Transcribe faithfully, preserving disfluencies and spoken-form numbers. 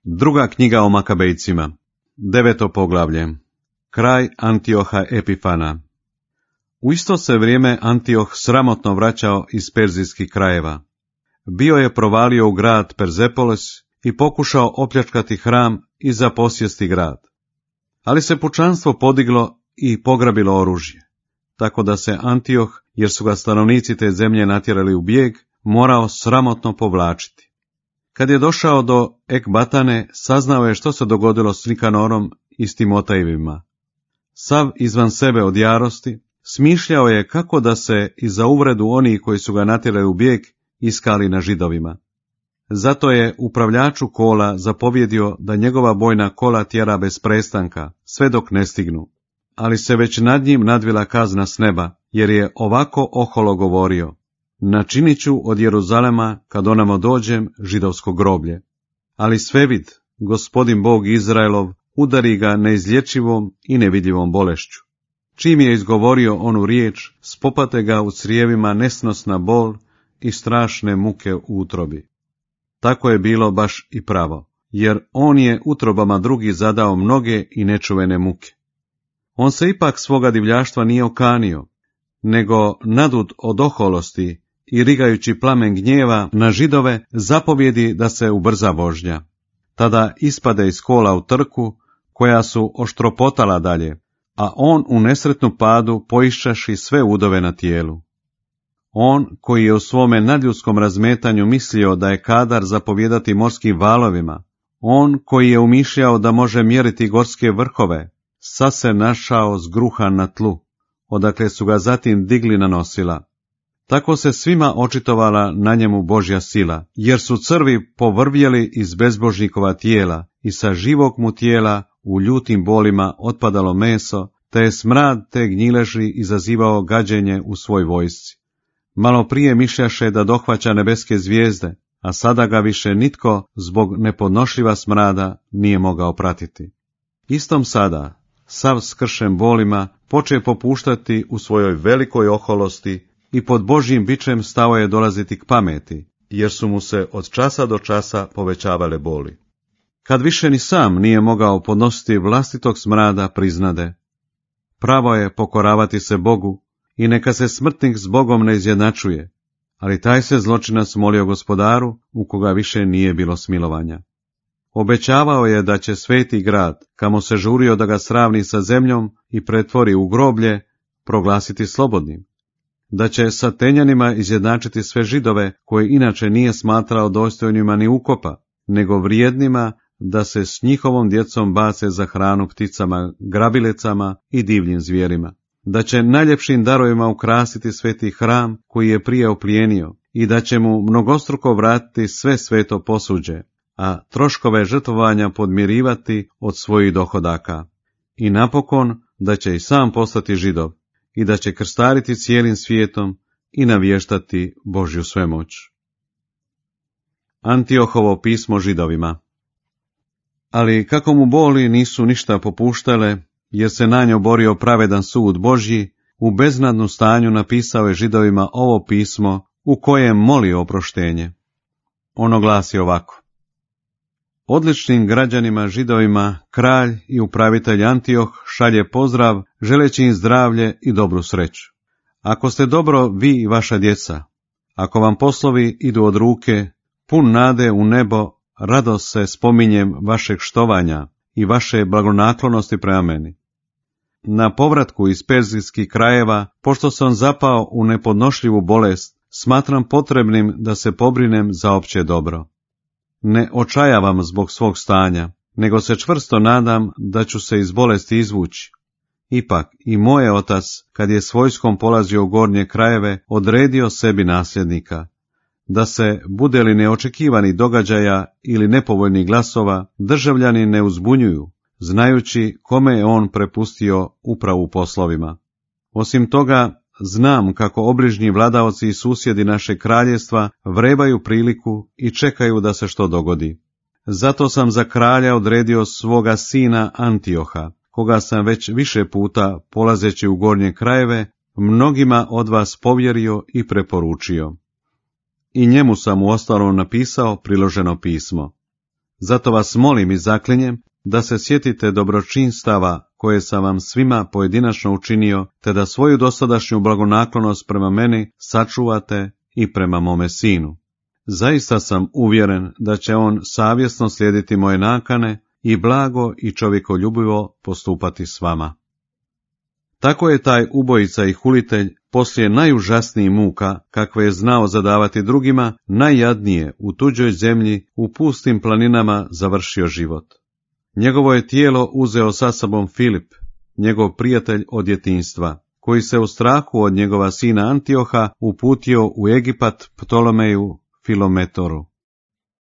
Druga knjiga o Makabejcima, deveto poglavlje. Kraj Antioha Epifana. U isto se vrijeme Antioh sramotno vraćao iz perzijskih krajeva. Bio je provalio u grad Perzepolis i pokušao opljačkati hram i zaposjesti grad. Ali se pučanstvo podiglo i pograbilo oružje, tako da se Antioh, jer su ga stanovnici te zemlje natjerali u bijeg, morao sramotno povlačiti. Kad je došao do Ekbatane, saznao je što se dogodilo s Nikanorom i s Timotejevima. Sav izvan sebe od jarosti, smišljao je kako da se i za uvredu onih koji su ga natjerali u bijeg iskali na Židovima. Zato je upravljaču kola zapovjedio da njegova bojna kola tjera bez prestanka, sve dok ne stignu. Ali se već nad njim nadvila kazna s neba, jer je ovako oholo govorio: načinit ću od Jeruzalema, kad onamo dođem, židovsko groblje. Ali svevid, Gospodin Bog Izraelov, udari ga neizlječivom i nevidljivom bolešću. Čim je izgovorio onu riječ, spopate ga u crijevima nesnosna bol i strašne muke u utrobi. Tako je bilo baš i pravo, jer on je utrobama drugih zadao mnoge i nečuvene muke. On se ipak svoga divljaštva nije okanio, nego nadut od oholosti i rigajući plamen gnjeva na Židove, zapovjedi da se ubrza vožnja. Tada ispade iz kola u trku, koja su oštropotala dalje, a on u nesretnu padu poiščaši sve udove na tijelu. On, koji je u svome nadljudskom razmetanju mislio da je kadar zapovjedati morskim valovima, on koji je umišljao da može mjeriti gorske vrhove, sad se našao zgruhan na tlu, odakle su ga zatim digli na nosila. Tako se svima očitovala na njemu Božja sila, jer su crvi povrvjeli iz bezbožnikova tijela i sa živog mu tijela u ljutim bolima otpadalo meso, te je smrad te gnjileži izazivao gađenje u svoj vojsci. Malo prije mišljaše da dohvaća nebeske zvijezde, a sada ga više nitko zbog nepodnošljiva smrada nije mogao pratiti. Istom sada, sav skršen bolima, poče popuštati u svojoj velikoj oholosti i pod Božjim bičem stao je dolaziti k pameti, jer su mu se od časa do časa povećavale boli. Kad više ni sam nije mogao podnositi vlastitog smrada, priznade: pravo je pokoravati se Bogu i neka se smrtnik s Bogom ne izjednačuje, ali taj se zločinac molio Gospodaru, u koga više nije bilo smilovanja. Obećavao je da će sveti grad, kamo se žurio da ga sravni sa zemljom i pretvori u groblje, proglasiti slobodnim, da će sa Tenjanima izjednačiti sve Židove, koje inače nije smatrao dostojnima ni ukopa, nego vrijednima da se s njihovom djecom bace za hranu pticama, grabilecama i divljim zvijerima, da će najljepšim darovima ukrasiti sveti hram koji je prije oplijenio i da će mu mnogostruko vratiti sve sveto posuđe, a troškove žrtvovanja podmirivati od svojih dohodaka. I napokon da će i sam postati Židov i da će krstariti cijelim svijetom i navještati Božju svemoć. Antiohovo pismo Židovima. Ali kako mu boli nisu ništa popuštale, jer se na nju borio pravedan sud Božji, u beznadnu stanju napisao je Židovima ovo pismo u kojem moli oproštenje. Ono glasi ovako: odličnim građanima Židovima kralj i upravitelj Antioh šalje pozdrav, želeći im zdravlje i dobru sreću. Ako ste dobro vi i vaša djeca, ako vam poslovi idu od ruke, pun nade u nebo, radost se spominjem vašeg štovanja i vaše blagonaklonosti prema meni. Na povratku iz perzijskih krajeva, pošto sam zapao u nepodnošljivu bolest, smatram potrebnim da se pobrinem za opće dobro. Ne očajavam zbog svog stanja, nego se čvrsto nadam da ću se iz bolesti izvući. Ipak i moj otac, kad je s vojskom polazio u gornje krajeve, odredio sebi nasljednika, da se, bude li neočekivani događaja ili nepovoljnih glasova, državljani ne uzbunjuju, znajući kome je on prepustio upravu poslovima. Osim toga, znam kako obližnji vladaoci i susjedi naše kraljevstva vrebaju priliku i čekaju da se što dogodi. Zato sam za kralja odredio svoga sina Antioha, koga sam već više puta, polazeći u gornje krajeve, mnogima od vas povjerio i preporučio. I njemu sam u ostalom napisao priloženo pismo. Zato vas molim i zaklinjem da se sjetite dobročinstava koje sam vam svima pojedinačno učinio, te da svoju dosadašnju blagonaklonost prema meni sačuvate i prema mome sinu. Zaista sam uvjeren da će on savjesno slijediti moje nakane i blago i čovjekoljubivo postupati s vama. Tako je taj ubojica i hulitelj poslije najužasnijih muka, kakve je znao zadavati drugima, najjadnije u tuđoj zemlji, u pustim planinama završio život. Njegovo je tijelo uzeo sa sobom Filip, njegov prijatelj od djetinjstva, koji se u strahu od njegova sina Antioha uputio u Egipat Ptolomeju Filometoru.